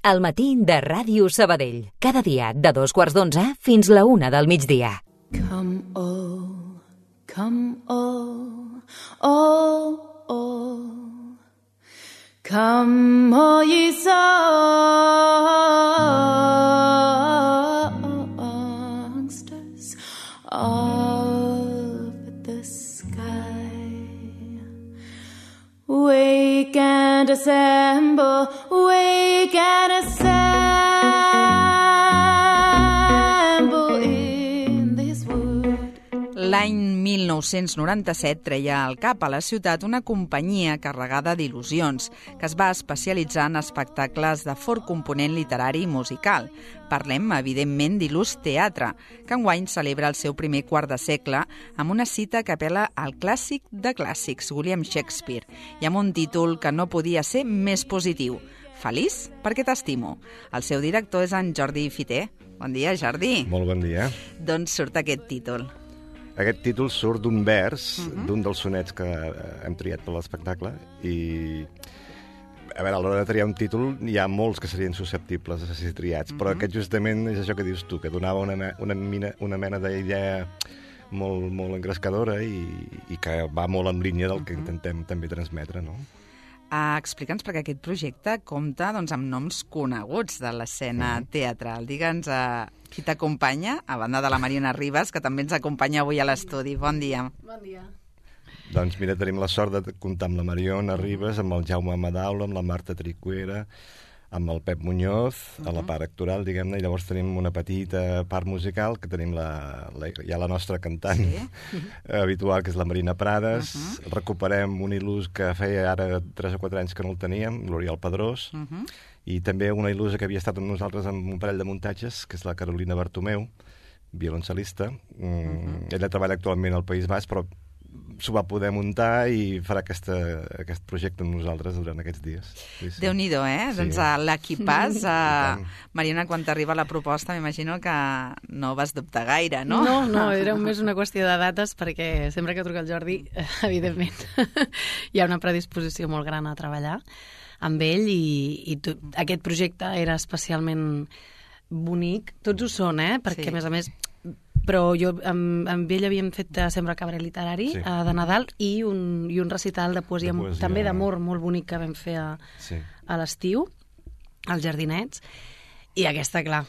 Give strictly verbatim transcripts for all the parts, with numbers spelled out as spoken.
al matí de Ràdio Sabadell. Cada dia de dos quarts d'onze fins la una del migdia. Come all, come all, all, all. Come all ye songsters of the sky. Wake and assemble, wake and assemble in this wood. L'any mil nou-cents noranta-set treia al cap a la ciutat una companyia carregada d'il·lusions que es va especialitzar en espectacles de fort component literari i musical. Parlem, evidentment, d'Il·lus Teatre, que enguany celebra el seu primer quart de segle amb una cita que apel·la al clàssic de clàssics, William Shakespeare, i amb un títol que no podia ser més positiu. Feliç perquè t'estimo. El seu director és en Jordi Fiter. Bon dia, Jordi. Molt bon dia. D'on surt aquest títol? Aquest títol surt d'un vers, uh-huh. d'un dels sonets que hem triat per l'espectacle, i a veure, a l'hora de triar un títol hi ha molts que serien susceptibles de ser triats, uh-huh. però aquest justament és això que dius tu, que donava una, una, mina, una mena d'idea molt, molt engrescadora i, i que va molt en línia del que uh-huh. intentem també transmetre, no? Uh, Explica'ns, perquè aquest projecte compta doncs, amb noms coneguts de l'escena uh-huh. teatral. Digue'ns uh, qui t'acompanya, a banda de la Mariona Ribas, que també ens acompanya avui a l'estudi. Bon dia. Bon dia. Doncs mira, tenim la sort de comptar amb la Mariona Ribas, amb el Jaume Madaula, amb la Marta Tricuera, amb el Pep Muñoz, a la part actoral, diguem-ne, i llavors tenim una petita part musical, que tenim la, la, ja la nostra cantant sí. habitual, que és la Marina Prades. Uh-huh. Recuperem un il·lus que feia ara tres o quatre anys que no el teníem, l'Oriol Pedrós, uh-huh. i també una il·lusa que havia estat amb nosaltres amb un parell de muntatges, que és la Carolina Bartomeu, violoncel·lista. Uh-huh. Ella treballa actualment al País Basc, però s'ho va poder muntar i farà aquesta, aquest projecte amb nosaltres durant aquests dies. Sí, sí. Déu-n'hi-do, eh? Sí. Doncs l'equipàs, uh, Mariona, quan t'arriba la proposta, m'imagino que no vas dubtar gaire, no? No, no, era més una qüestió de dates, perquè sempre que truca el Jordi, evidentment, hi ha una predisposició molt gran a treballar amb ell i, i tot, aquest projecte era especialment bonic. Tots ho són, eh? Perquè, sí. a més a més, però jo amb, amb ell havíem fet Sembra Cabaret Literari sí. uh, de Nadal i un, i un recital de poesia, de poesia també d'amor molt bonic que vam fer a, sí. a l'estiu, als Jardinets, i aquesta, clar,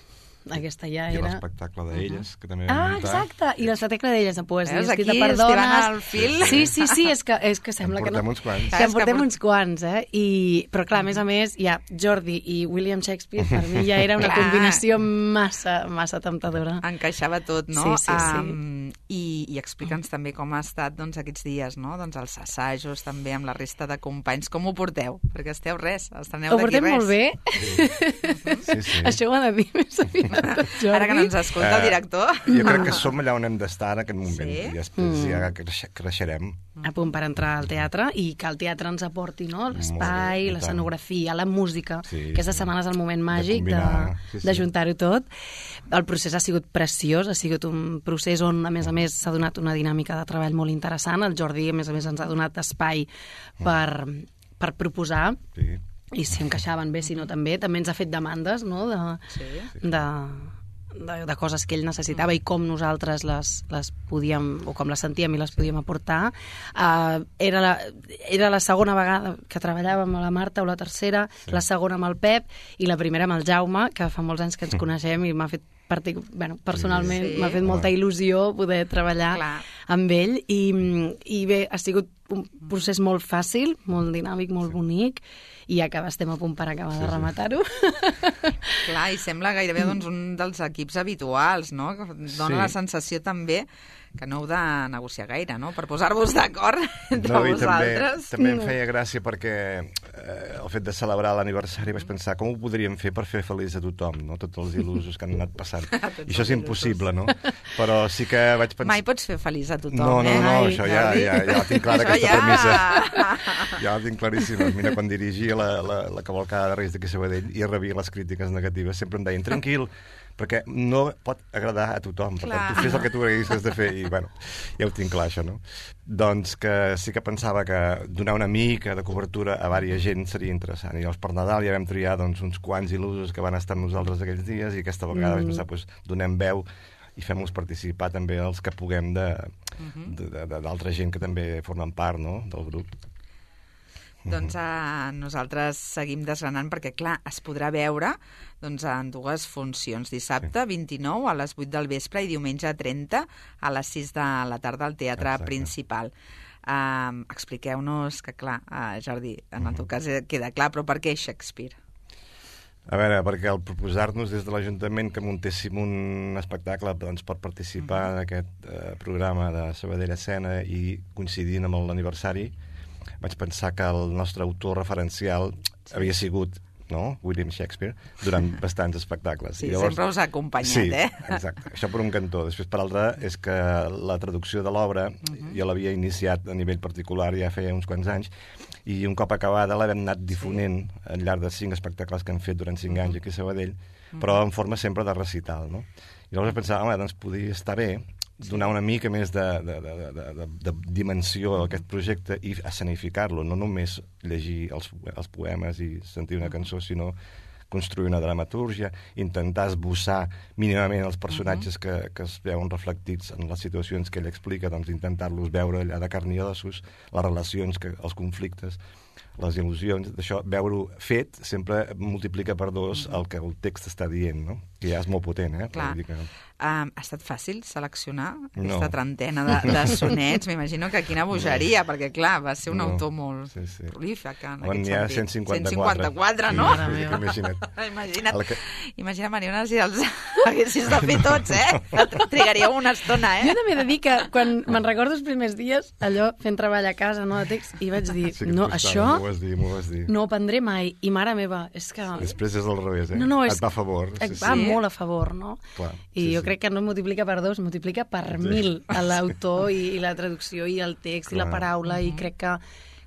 aquesta ja I era... I l'espectacle d'elles, que també vam Ah, muntar. exacte, i l'espectacle d'elles de poesia Veus, escrita aquí per dones. al fil. Sí, sí, sí, és que, és que sembla que no... En portem uns quants. Que en portem uns quants, eh? I, però clar, a més a més, ja Jordi i William Shakespeare, per mi ja era una combinació massa, massa temptadora. Encaixava tot, no? Sí, sí, sí. Um, I, i explica'ns també com ha estat doncs, aquests dies, no? Doncs els assajos també amb la resta de companys. Com ho porteu? Perquè esteu res, estreneu d'aquí res. Ho portem molt bé. Sí, sí. Això ho ha de dir més aviat, Jordi. Ara que no ens escolta el director. Uh, jo crec que som allà on hem d'estar en aquest moment. Sí? I després mm. ja creix, creixerem. A punt per entrar al teatre i que el teatre ens aporti, no? L'espai, l'escenografia, la música. Sí, Aquesta sí. setmana és el moment màgic de, de, sí, sí. de juntar-ho tot. El procés ha sigut preciós, ha sigut un procés on, a més a més, s'ha donat una dinàmica de treball molt interessant. El Jordi, a més a més, ens ha donat espai per, per proposar. Sí. I si encaixaven bé, si no també. També ens ha fet demandes, no?, de... Sí. de De, de coses que ell necessitava i com nosaltres les, les podíem, o com les sentíem i les podíem aportar. Uh, era, la, era la segona vegada que treballàvem amb la Marta, o la tercera, sí. la segona amb el Pep i la primera amb el Jaume, que fa molts anys que ens coneixem i m'ha fet partic... bueno, personalment sí. m'ha fet molta il·lusió poder treballar Clar. amb ell i, i bé, ha sigut un procés molt fàcil, molt dinàmic, molt sí. bonic, i ja que estem a punt per acabar sí, de rematar-ho. Clar, i sembla gairebé doncs, un dels equips habituals, no? Que dona sí. la sensació també que no heu de negociar gaire, no?, per posar-vos d'acord entre no, vosaltres. També, també em feia gràcia perquè eh, el fet de celebrar l'aniversari vaig pensar com ho podríem fer per fer feliç a tothom, no?, tots els il·lusos que han anat passant. I això és impossible, no? Però sí que vaig pensar... Mai pots fer feliç a tothom, no, no, eh? No, no, Ai, això ja, ja, ja la tinc clara, aquesta ja... premissa. Ja la tinc claríssima. Mira, quan dirigia la, la, la cavalcada de Reis d'aquí a Sabadell i rebia les crítiques negatives, sempre em deien, tranquil, perquè no pot agradar a tothom. Per tant, tu fes el que tu haguessis de fer i, bueno, ja ho tinc clar, això, no? Doncs que sí que pensava que donar una mica de cobertura a vària gent seria interessant. I llavors per Nadal ja vam triar doncs, uns quants il·lusos que van estar amb nosaltres aquells dies i aquesta vegada mm. vam pensar, doncs, donem veu i fem-los participar també els que puguem d'altra gent que també formen part, no?, del grup. Doncs uh, nosaltres seguim desgranant perquè, clar, es podrà veure doncs, en dues funcions. Dissabte, vint-i-nou, a les vuit del vespre i diumenge trenta a les sis de la tarda al Teatre Exacte. Principal. Uh, expliqueu-nos que, clar, uh, Jordi, en el teu cas queda clar, però per què Shakespeare? A veure, perquè al proposar-nos des de l'Ajuntament que muntéssim un espectacle doncs, per participar uh-huh. en aquest uh, programa de Sabadell Escena i coincidint amb l'aniversari, vaig pensar que el nostre autor referencial sí. havia sigut, no?, William Shakespeare, durant bastants espectacles. Sí, I llavors, sempre us ha acompanyat, sí, eh? Exacte. Això per un cantó. Després, per altre, és que la traducció de l'obra uh-huh. jo l'havia iniciat a nivell particular ja feia uns quants anys, i un cop acabada l'hem anat difonent sí. al llarg de cinc espectacles que han fet durant cinc uh-huh. anys aquí a Sabadell, uh-huh. però en forma sempre de recital, no? I llavors pensava, home, doncs podria estar bé donar una mica més de, de, de, de, de, de dimensió a aquest projecte i escenificar-lo, no només llegir els, els poemes i sentir una cançó, sinó construir una dramatúrgia, intentar esbossar mínimament els personatges uh-huh. que, que es veuen reflectits en les situacions que ell explica, doncs intentar-los veure allà de carn i ossos, les relacions, que, els conflictes, les il·lusions, d'això, veure-ho fet sempre multiplica per dos el que el text està dient, no? Que ja és molt potent, eh? Clar. Que... Um, ha estat fàcil seleccionar aquesta no. trentena de, de sonets? M'imagino que quina bogeria, no. perquè, clar, va ser un no. autor molt sí, sí. prolífic en On aquest hi ha sentit. cent cinquanta-quatre. cent cinquanta-quatre, no? Sí, imagina't. Imagina't, que... imagina, Mariona, si els haguessis de fer tots, eh? Trigaríeu una estona, eh? Jo també he de dir que quan me'n recordo els primers dies, allò, fent treball a casa, no, de text, i vaig dir, sí no, això m'ho vas dir, m'ho vas dir. no ho prendré mai. I mare meva, és que... Després és al revés, eh? No, no, és... Et va a favor. Et Sí, va sí. molt a favor, no? Clar, I sí, jo sí. crec que no multiplica per dos, multiplica per sí. mil a l'autor i, i la traducció i el text Clar. i la paraula, uh-huh. i crec que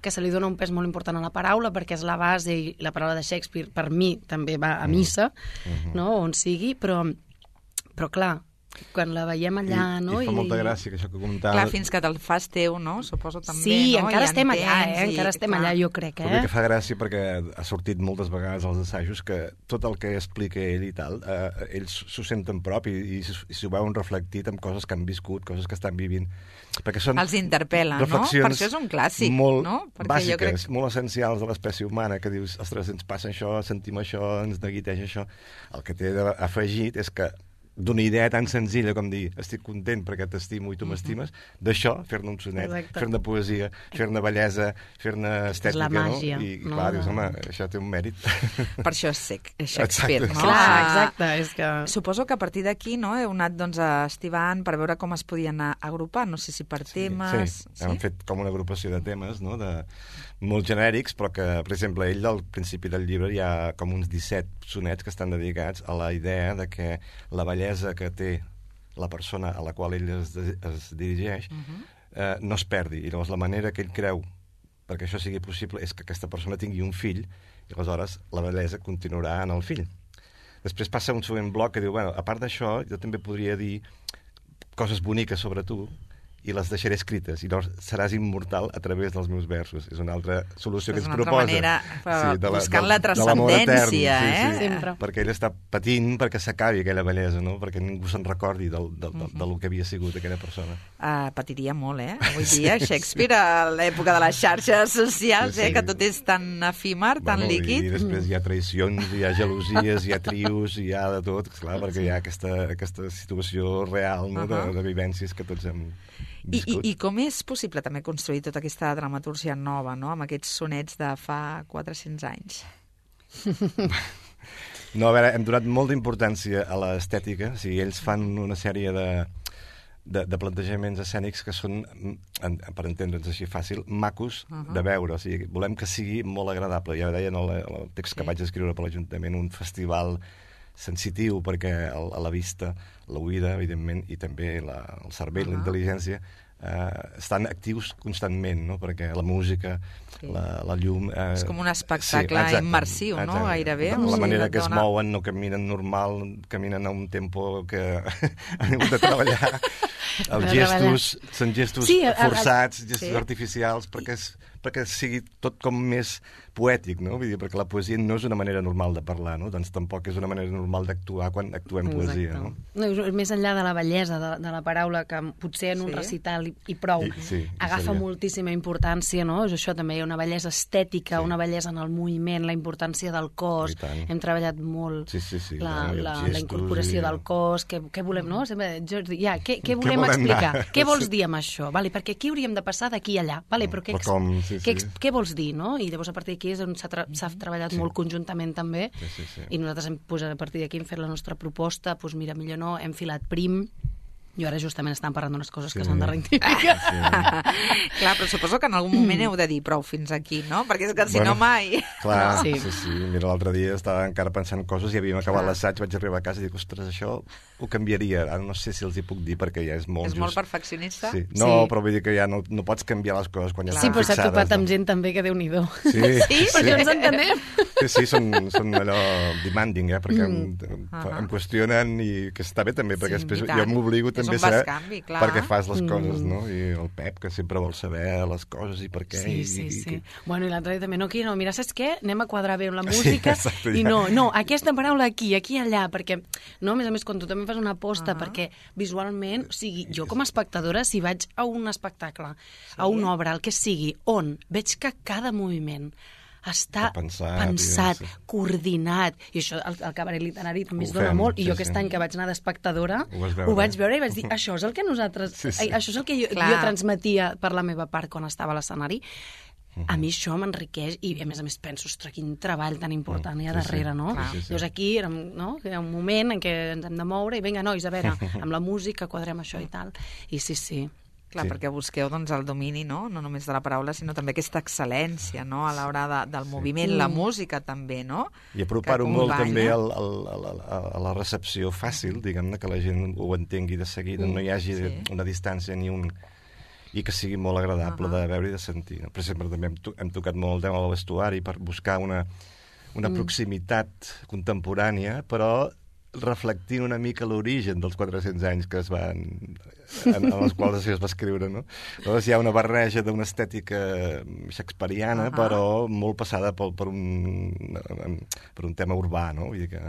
que se li dona un pes molt important a la paraula perquè és la base i la paraula de Shakespeare per mi també va a missa, uh-huh. no? On sigui, però, però clar, quan la veiem allà, I, no? I fa molta gràcia que això que comentava... Clar, fins que te'l fas teu, no? Suposo també, sí, no? encara I estem entens, allà, eh? Encara i, estem clar. allà, jo crec, Però eh? que fa gràcia perquè ha sortit moltes vegades als assajos que tot el que explica ell i tal, eh, ells s'ho senten propi i, i, i s'ho veuen reflectit en coses que han viscut, coses que estan vivint. Perquè són els interpel·la, no? Per això és un clàssic, molt no? Perquè bàsiques, jo crec... molt essencials de l'espècie humana, que dius, ostres, ens passa això, sentim això, ens neguiteja això. El que té afegit és que d'una idea tan senzilla com dir estic content perquè t'estimo i tu m'estimes, uh-huh. d'això, fer-ne un sonet, Exacte. fer-ne poesia, fer-ne bellesa, fer-ne estètica, la màgia, no? I, no? clar, dius, home, això té un mèrit. Per això és sec, és Shakespeare, exacte. no? Clar, exacte, és que... Suposo que a partir d'aquí, no, heu anat doncs, estivant per veure com es podien agrupar, no sé si per temes... Sí, sí. Hem fet com una agrupació de temes, no?, de molt genèrics, però que, per exemple, ell al principi del llibre hi ha com uns disset sonets que estan dedicats a la idea de que la bellesa que té la persona a la qual ell es, es dirigeix uh-huh. eh, no es perdi. I llavors la manera que ell creu perquè això sigui possible és que aquesta persona tingui un fill i aleshores la bellesa continuarà en el fill. Després passa un següent bloc que diu, bueno, a part d'això, jo també podria dir coses boniques sobre tu i les deixaré escrites, i llavors seràs immortal a través dels meus versos. És una altra solució és que ens una proposa. Manera, sí, de la, buscant de, la transcendència, sí, eh? sí, Sempre. Perquè ell està patint perquè s'acabi aquella bellesa, no? Perquè ningú se'n recordi del, del, del, del que havia sigut aquella persona. Uh, patiria molt, eh? Avui dia Shakespeare, a l'època de les xarxes socials, sí, sí. eh? Que tot és tan efímer, tan bueno, líquid. I després hi ha traïcions, hi ha gelosies, hi ha trios, hi ha de tot, clar, perquè sí. hi ha aquesta, aquesta situació real, no? uh-huh. de, de vivències que tots hem I, i, I com és possible també construir tota aquesta dramatúrgia nova, no?, amb aquests sonets de fa quatre-cents anys? No, a veure, hem donat molta importància a l'estètica. O sigui, ells fan una sèrie de, de, de plantejaments escènics que són, en, per entendre'ns així fàcil, macos uh-huh. de veure. O sigui, volem que sigui molt agradable. Ja deia en el, el text que sí. vaig escriure per l'Ajuntament, un festival sensitiu, perquè el, a la vista, l'oïda, evidentment, i també la, el cervell, uh-huh. la intel·ligència, eh, estan actius constantment, no? Perquè la música, sí. la, la llum... Eh, és com un espectacle sí, immersiu, no? Exacte. Gairebé. La, la manera que es mouen, no caminen normal, caminen a un tempo que han hagut de treballar. Els gestos són gestos sí, forçats, gestos sí. artificials, perquè, és, perquè sigui tot com més poètic, no? Vull dir, perquè la poesia no és una manera normal de parlar, no? Doncs tampoc és una manera normal d'actuar quan actuem Exacte. Poesia, no? No, més enllà de la bellesa de, de la paraula, que potser en un sí. recital i, i prou, I, sí, agafa seria. moltíssima importància, no? És això també, hi ha una bellesa estètica, sí. una bellesa en el moviment, la importància del cos. Hem treballat molt sí, sí, sí, la, no? la, la incorporació i... del cos, què, què volem, no? Sempre, jo, ja, què, què volem què explicar? Anar? Què vols dir amb això? Vale, perquè aquí hauríem de passar d'aquí a allà. Vale, però què, però com, sí, sí. què, què vols dir, no? I llavors a partir d'aquí és on s'ha tra s'ha treballat sí. molt conjuntament també sí, sí, sí. i nosaltres hem posat a partir d'aquí hem fet la nostra proposta, doncs mira, millor no, hem filat prim. Jo ara justament estàvem parlant d'unes coses sí. que s'han de rectificar. Sí. Clar, però suposo que en algun moment heu de dir prou fins aquí, no? Perquè és que si bueno, no mai... Clar, sí, sí. sí. Mira, l'altre dia estava encara pensant coses i havíem acabat l'assaig, vaig arribar a casa i dic, ostres, això ho canviaria. Ara no sé si els hi puc dir perquè ja és molt És just. molt perfeccionista? Sí. No, sí. però vull dir que ja no, no pots canviar les coses quan ja sí, estan fixades. Sí, però s'ha topat no? amb gent també que Déu-n'hi-do. Sí, sí, sí. perquè ens entenem. Sí, sí, són, són allò demanding, eh? Perquè mm. em, uh -huh. em qüestionen i que està bé també, perquè sí, després jo m'obligo també a saber canvi, clar. perquè fas les coses, mm. no? I el Pep, que sempre vol saber les coses i per què. Sí, i, sí, i, sí. I... Bueno, i l'altre dia també, no, aquí no, mira, saps què? Anem a quadrar bé amb la música sí, exacte, i no, no, aquesta paraula aquí, aquí, allà, perquè, no, a més a més, quan tu també fas una aposta, uh -huh. perquè visualment, o sigui, jo com a espectadora, si vaig a un espectacle, sí. a una obra, el que sigui, on veig que cada moviment està pensat, pensat sí. coordinat, i això el, el cabaret literari també es dona molt, sí, i jo aquest sí. any que vaig anar d'espectadora ho, ho vaig veure i vaig dir, això és el que nosaltres sí, sí. això és el que jo, jo transmetia per la meva part quan estava a l'escenari. Uh-huh. A mi això m'enriqueix i a més a més penso, ostres, quin treball tan important hi ha darrere, sí, sí. no? Sí, sí. Llavors aquí no? Hi ha un moment en què ens hem de moure i vinga, nois, a veure, amb la música quadrem això i tal, i sí, sí. Clar, sí. perquè busqueu doncs, el domini, no? No només de la paraula, sinó també aquesta excel·lència, no? A l'hora de, del moviment, sí. la música també, no? I apropar-ho molt també al, al, al, a la recepció fàcil, diguem-ne, que la gent ho entengui de seguida, mm. no hi hagi sí. una distància ni un... i que sigui molt agradable uh -huh. de veure i de sentir. Per exemple, també hem, to hem tocat molt el tema del vestuari per buscar una, una mm. proximitat contemporània, però reflectint una mica l'origen dels quatre-cents anys que es van, en, en els quals això es va escriure, no? Llavors hi ha una barreja d'una estètica shakespeariana, uh -huh. però molt passada per, per, un, per un tema urbà, no? Vull dir que...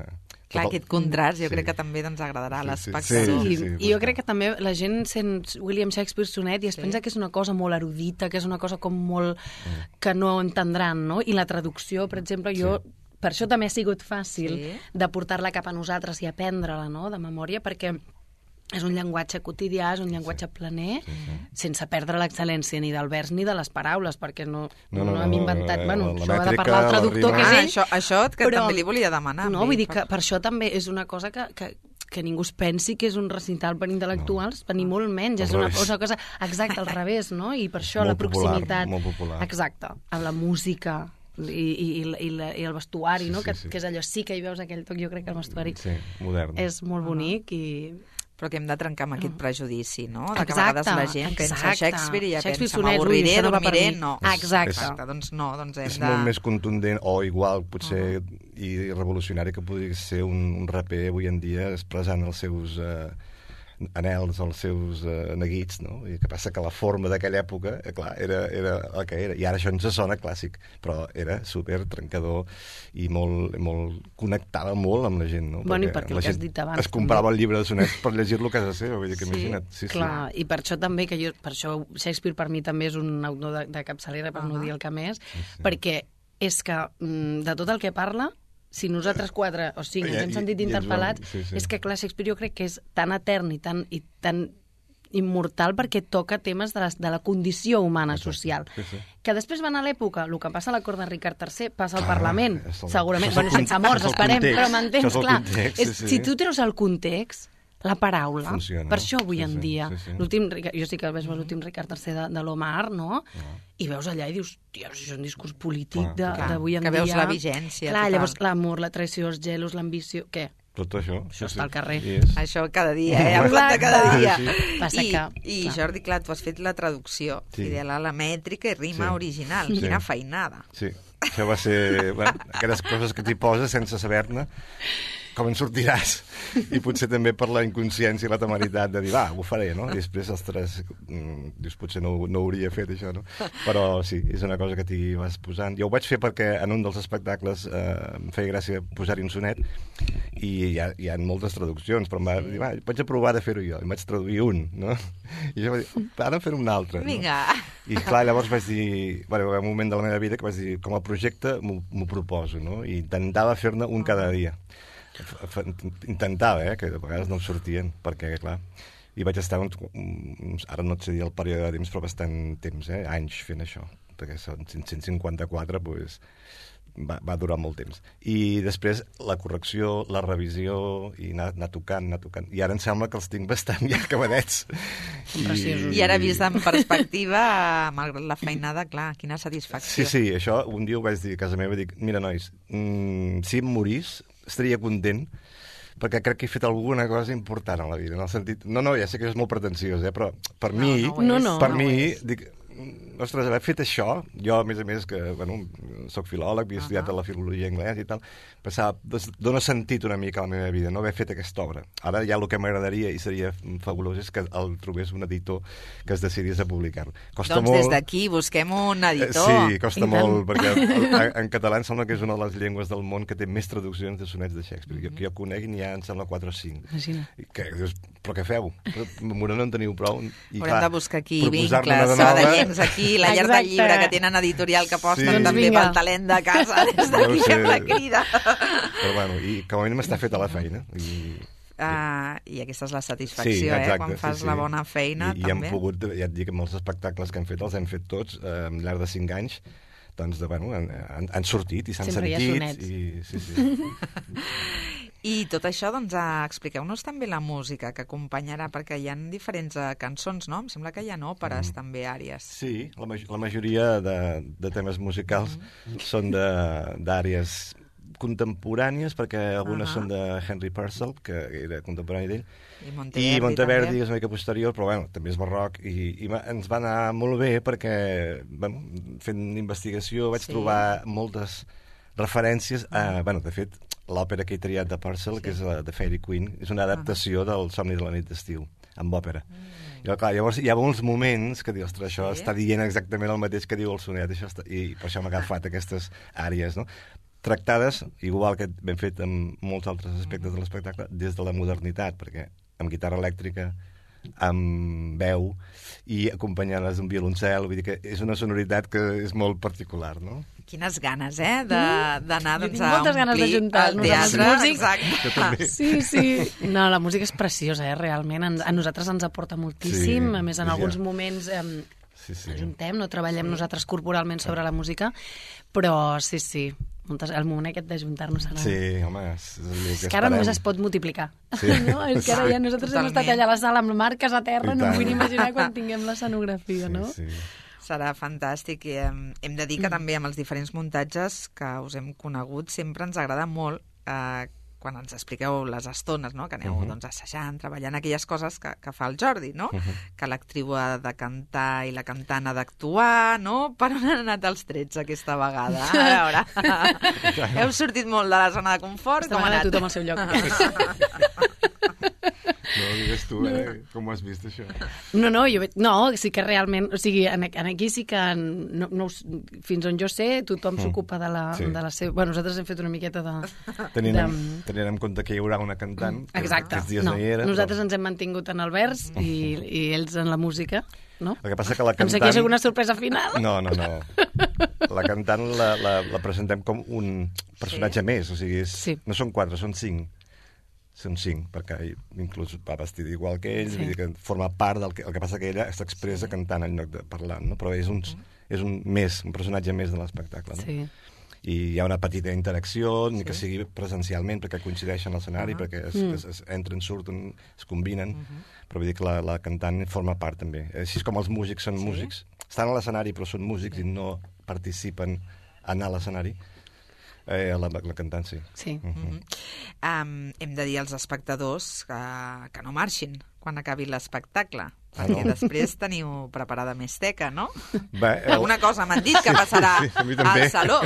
Clar, aquest contrast jo sí. crec que també doncs, agradarà a sí, l'espectador. Sí, sí, sí, sí, I jo crec que també la gent sent William Shakespeare sonet i es sí. pensa que és una cosa molt erudita, que és una cosa com molt... Mm. que no entendran, no? I la traducció, per exemple, jo... Sí. Per això també ha sigut fàcil sí. de portar-la cap a nosaltres i aprendre-la, no?, de memòria, perquè és un llenguatge quotidià, és un llenguatge planer, sí, sí. sense perdre l'excel·lència ni del vers ni de les paraules, perquè no, no, no, no hem inventat... No, bueno, això ha de parlar el traductor, que és ell. Ah, això, això que però, també li volia demanar. No, vull dir que per això també és una cosa que... que que ningú es pensi que és un recital per intel·lectuals, no. per ni molt menys, és una, una cosa exacta al revés, no? I per això molt la proximitat... Popular, molt popular. Exacte, a la música... I, i, i, la, i el vestuari, sí, no? Sí, que, sí. que és allò, sí que hi veus aquell toc, jo crec que el vestuari sí, modern. És molt bonic i... Però que hem de trencar amb aquest prejudici, no? De exacte, que a vegades la gent exacte. pensa Shakespeare i ja Shakespeare pensa, m'avorriré, no dormiré, no. Exacte. Exacte. Doncs no, doncs hem és de... molt més contundent, o igual, potser, uh -huh. i revolucionari que podria ser un, un raper avui en dia expressant els seus... Eh, anels, els seus uh, neguits, no? I que passa que la forma d'aquella època, eh, clar, era, era el que era. I ara això ens sona clàssic, però era super trencador i molt, molt connectava molt amb la gent, no? Bueno, perquè i perquè el que has dit abans... Es comprava també. El llibre de sonets per llegir-lo a casa seva, vull dir que sí, imagina't. Sí, clar, sí. I per això també, que jo, per això Shakespeare per mi també és un autor de, de capçalera, per uh -huh. no dir el que més, sí, sí. perquè és que de tot el que parla, si nosaltres quatre o cinc ens hem sentit interpel·lats, sí, sí. és que, clar, Shakespeare jo crec que és tan etern i tan, i tan immortal perquè toca temes de la, de la condició humana social. Sí, sí. Que després van a l'època, el que passa a la cort de Ricard tercer passa al ah, Parlament, el... segurament, bueno, sense morts, esperem, però m'entens, clar. Context, és, sí, sí. Si tu treus el context, la paraula, funciona. Per això avui sí, en dia, sí, sí. l'últim, jo sí que veig l'últim Ricard tercer de, de l'Omar, no? Ah. I veus allà i dius, tia, això és un discurs polític d'avui en dia. Que veus la vigència. Clar, total. Llavors l'amor, la traïció, els gelos, l'ambició, què? tot això. Això està al carrer. Yes. Això cada dia, eh? A planta cada dia. Sí, sí. Passa I, que, I clar. Jordi, clar, tu has fet la traducció Sí. fidel a la mètrica i rima Sí. original. Sí. Quina feinada. Sí, això va ser... Bueno, aquelles coses que t'hi poses sense saber-ne, com en sortiràs. I potser també per la inconsciència i la temeritat de dir, va, ho faré, no? I després, ostres, mm, dius, potser no, no hauria fet això, no? Però sí, és una cosa que t'hi vas posant. Jo ho vaig fer perquè en un dels espectacles eh, em feia gràcia posar-hi un sonet i hi ha, hi ha moltes traduccions, però em va dir, va, vaig a provar de fer-ho jo. I vaig traduir un, no? I jo vaig dir, ara fer un altre. Vinga. No? I clar, llavors vaig dir, bueno, va haver un moment de la meva vida que vaig dir, com a projecte m'ho proposo, no? I intentava fer-ne un cada dia. Intentava, eh, que de vegades no em sortien, perquè, clar, i vaig estar, uns, uns, ara no et sé dir el període de temps, però bastant temps, eh, anys fent això, perquè són cent cinquanta-quatre, doncs, va, va durar molt temps. I després la correcció, la revisió, i anar, anar tocant, anar tocant. I ara em sembla que els tinc bastant ja acabadets. I, I ara vist en perspectiva, malgrat la feinada, clar, quina satisfacció. Sí, sí, això un dia ho vaig dir a casa meva, dic, mira, nois, mmm, si em morís, estaria content, perquè crec que he fet alguna cosa important a la vida, en el sentit... No, no, ja sé que és molt pretensiós, eh, però per no, mi, no, no, per no mi, dic, ostres, haver fet això, jo, a més a més, que, bueno, soc filòleg, havia estudiat uh -huh. la filologia anglès i tal, pensava, dona sentit una mica a la meva vida, no haver fet aquesta obra. Ara ja el que m'agradaria, i seria fabulós, és que el trobés un editor que es decidís a publicar-lo. Costa doncs molt... des d'aquí busquem un editor. Sí, costa molt, perquè en, en català em sembla que és una de les llengües del món que té més traduccions de sonets de Shakespeare. Mm -hmm. Jo, que jo conegui n'hi ha, em sembla, quatre o cinc. Imagina. Que dius, però què feu? M'ho no en teniu prou? I, Haurem clar, de buscar aquí proposar-ne vincles una de nova- sabadellencs aquí, la llar del llibre, que tenen editorial que aposten Sí. també Doncs vinga. pel talent de casa. Des No d'aquí ho sé. fem la crida. Però bueno, i com a mínim està feta la feina. I, Uh, I aquesta és la satisfacció, sí, exacte, eh? Quan fas sí, sí. la bona feina, I, també. I hem pogut, ja et dic, amb els espectacles que hem fet, els hem fet tots eh, al llarg de cinc anys, doncs, de, bueno, han, han, han sortit i s'han Sempre hi ha sentit. sonets. I, sí, sí. I tot això, doncs, uh, expliqueu-nos també la música que acompanyarà, perquè hi ha diferents uh, cançons, no? Em sembla que hi ha òperes, mm. també, àries. Sí, la, ma la majoria de, de temes musicals mm. són d'àrees contemporànies, perquè algunes uh -huh. són de Henry Purcell, que era contemporani d'ell, I Monteverdi, i Monteverdi també. és una mica posterior, però bueno, també és barroc, i, i va, ens va anar molt bé perquè, bueno, fent investigació vaig Sí. trobar moltes referències a, bueno, de fet, l'òpera que he triat de Purcell, sí. que és la de Fairy Queen, és una adaptació uh -huh. del Somni de la nit d'estiu, amb òpera. Mm. I, clar, llavors hi ha molts moments que dius, ostres, això sí. està dient exactament el mateix que diu el sonet, això està... i per això m'ha agafat aquestes àrees, no? Tractades, igual que ben fet en molts altres aspectes de l'espectacle, des de la modernitat, perquè amb guitarra elèctrica, amb veu i acompanyant-les d'un violoncel, vull dir que és una sonoritat que és molt particular, no? Quines ganes, eh, d'anar Jo doncs, tinc a moltes ganes omplir d'ajuntar-nos el amb els teatre. músics. Exacte. Sí, sí. No, la música és preciosa, eh, realment. Ens, a nosaltres ens aporta moltíssim. Sí, a més, en ja. alguns moments eh, Sí, sí. ajuntem, no treballem nosaltres corporalment sobre la música, però sí, sí. Moltes, el moment aquest d'ajuntar-nos serà... Sí, home, és, és, el És que ara només es pot multiplicar. Sí. No? És que ara ja nosaltres hem estat Totalment. allà a la sala amb marques a terra, I no em tant. vull imaginar quan tinguem l'escenografia, no? Sí, sí. Serà fantàstic. I hem, hem de dir que Mm. també amb els diferents muntatges que us hem conegut sempre ens agrada molt eh, quan ens expliqueu les estones, no? Que aneu uh -huh. doncs, assajant, treballant aquelles coses que, que fa el Jordi, no? Uh -huh. Que l'actriu ha de cantar i la cantant ha d'actuar, no? Per on han anat els trets aquesta vegada? A veure, heu sortit molt de la zona de confort? Aquesta Com ha vegada anat? tothom al seu lloc. No, digues tu, eh? Com ho has vist, això? No, no, jo, veig- no, sí que realment, o sigui, en, en aquí sí que, no, no, us- fins on jo sé, tothom s'ocupa de la, Sí. de la seva... Bueno, nosaltres hem fet una miqueta de... Tenint, de... en, tenint en compte que hi haurà una cantant, que Exacte. aquests dies No, no hi era. nosaltres però... ens hem mantingut en el vers i, i ells en la música, no? El que passa que la Em cantant... sé que hi ha alguna sorpresa final. No, no, no. La cantant la, la, la presentem com un personatge Sí. més, o sigui, és, Sí. no són quatre, són cinc. Són cinc, perquè ell inclús va vestit igual que ell, Sí. vull dir que forma part del que... El que passa que ella s'expressa sí. cantant en lloc de parlant, no? Però és un, és un més, un personatge més de l'espectacle, no? Sí. I hi ha una petita interacció, ni que sigui presencialment, perquè coincideixen a l'escenari, Ah. perquè es, Mm. es, es entren, surten, es combinen, Mhm. però vull dir que la, la cantant forma part també. Així com els músics són Sí? músics, estan a l'escenari però són músics i no participen en anar a l'escenari, Eh, la, la cantant, sí. Sí. Uh -huh. Mm -hmm. um, hem de dir als espectadors que, que no marxin quan acabi l'espectacle, perquè Ah, no? després teniu preparada més teca, no? Bé, el... Alguna cosa m'han dit que passarà sí, sí, a mi també. al saló.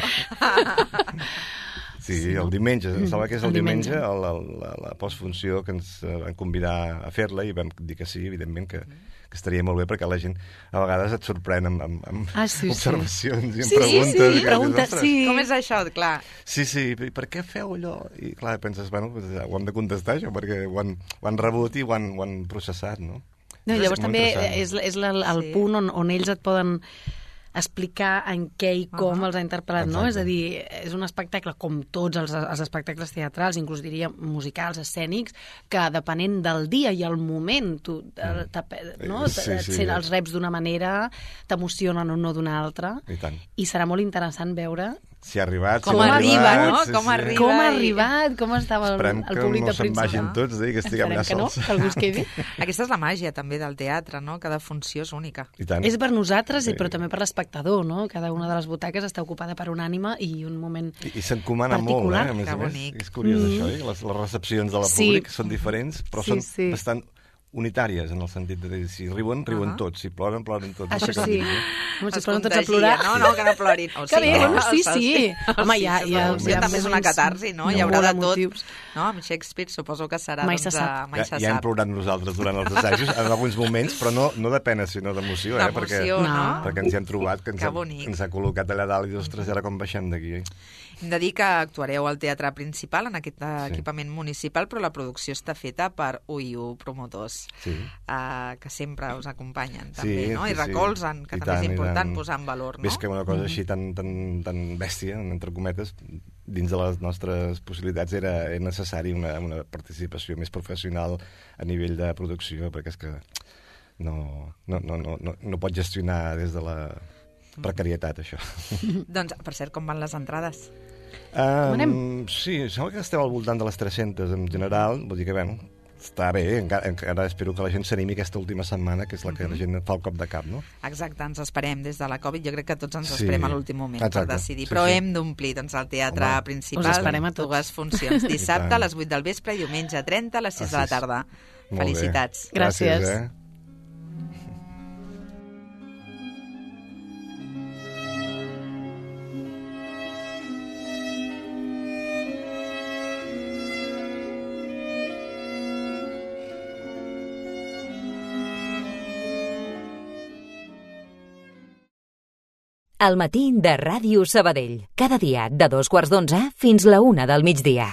Sí, sí, el diumenge, em sembla que és el, el diumenge, diumenge. el, el, la, la postfunció que ens eh, van convidar a fer-la i vam dir que sí, evidentment, que, que estaria molt bé perquè la gent a vegades et sorprèn amb, amb, amb Ah, sí, sí. observacions i amb Sí, sí, preguntes. sí, i que dius, preguntes, "Ostres". sí. Com és això? Clar. Sí, sí, i per què feu allò? I clar, penses, bueno, pues, ja ho hem de contestar això, perquè ho han, ho han rebut i ho han, ho han processat, no? No, i llavors És molt també interessant. és, és la, el Sí. punt on, on ells et poden explicar en què i com Uh-huh. els ha interpretat, no? Exacte. És a dir, és un espectacle com tots els, els espectacles teatrals, inclús diria musicals, escènics, que depenent del dia i el moment, tu, eh, no? Sí, sí. Sent els reps d'una manera, t'emocionen o no d'una altra, I tant. i serà molt interessant veure Si ha arribat, Com si ha arriba, arribat, no? sí, Com sí. arriba. com ha i- arribat, com estava el, Esperem el que públic no de se'n Príncipe. vagin tots, eh, i que estiguem Esperem allà que no, sols. que algú es quedi. Aquesta és la màgia també del teatre, no? Cada funció és única. I tant. És per nosaltres, Sí. i però també per l'espectador, no? Cada una de les butaques està ocupada per un ànima i un moment I, i s'encomana molt, particular. eh? A més Que a més, bonic. és curiós Mm. això, eh? Les, les recepcions de la Sí. públic són diferents, però Sí, són sí. bastant unitàries, en el sentit de dir, si riuen, riuen Ah. tots, si ploren, ploren tots. Això No sé com sí. dir-ho. Com si Es poden tots a contagia, plorar. No, no, que no plorin. O Que bé, sí, bueno, sí, o sí. Home, ja- sí, ja- sí, ja també és una moments catarsi, no? Hi de haurà molt de tot. emotius. No? Amb Shakespeare suposo que serà, Mai doncs, se sap. eh, mai Ja, se ja hem sap. plorat nosaltres durant els assajos, en alguns moments, però no, no de pena, sinó d'emoció, eh? Perquè, D'emoció, no? perquè ens hi hem trobat, que ens, Que ha, bonic. ens ha col·locat allà dalt i dius, ostres, i ara com baixem d'aquí, eh? Hem de dir que actuareu al Teatre Principal, en aquest Sí. equipament municipal, però la producció està feta per U I U Promotors, Sí. eh, que sempre us acompanyen, també, Sí, no? sí, I sí. recolzen, que I també tant, és i important tant. posar en valor, no? Ves que una cosa així tan, tan, tan bèstia, entre cometes, dins de les nostres possibilitats era, era necessari una, una participació més professional a nivell de producció, perquè és que no, no, no, no, no, no pot gestionar des de la precarietat, això. Doncs, per cert, com van les entrades? Um, sí, sembla que estem al voltant de les tres-centes en general, vull dir que, bueno, està bé, encara, encara espero que la gent s'animi aquesta última setmana, que és la que la gent fa el cop de cap, no? Exacte, ens esperem des de la Covid. Jo crec que tots ens Sí. esperem a l'últim moment Exacte. per decidir. Sí, Però sí. hem d'omplir doncs, el teatre Home, principal. us esperem a tots. Dues funcions. Dissabte a tant. les vuit del vespre i diumenge trenta a les sis A de la sis. tarda. Molt bé. Felicitats. Gràcies. eh? El matí de Ràdio Sabadell. Cada dia de dos quarts d'onze fins la una del migdia.